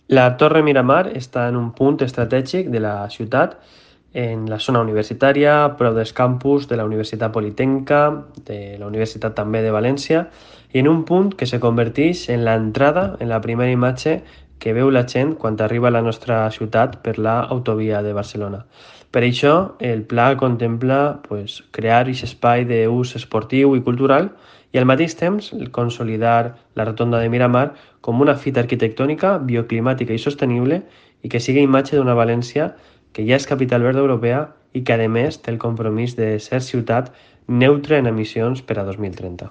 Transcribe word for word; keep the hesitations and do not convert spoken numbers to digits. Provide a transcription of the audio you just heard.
La Torre Miramar està en un punt estratègic de la ciutat, en la zona universitària, prop dels campus de la Universitat Politècnica, de la Universitat també de València, i en un punt que se converteix en l'entrada, en la primera imatge que veu la gent quan arriba a la nostra ciutat per l'autovia de Barcelona. Per això, el pla contempla pues, crear aquest espai d'ús esportiu i cultural i al mateix temps consolidar la rotonda de Miramar com una fita arquitectònica, bioclimàtica i sostenible i que sigui imatge d'una València que ja és capital verda europea i que a més té el compromís de ser ciutat neutra en emissions per a dos mil trenta.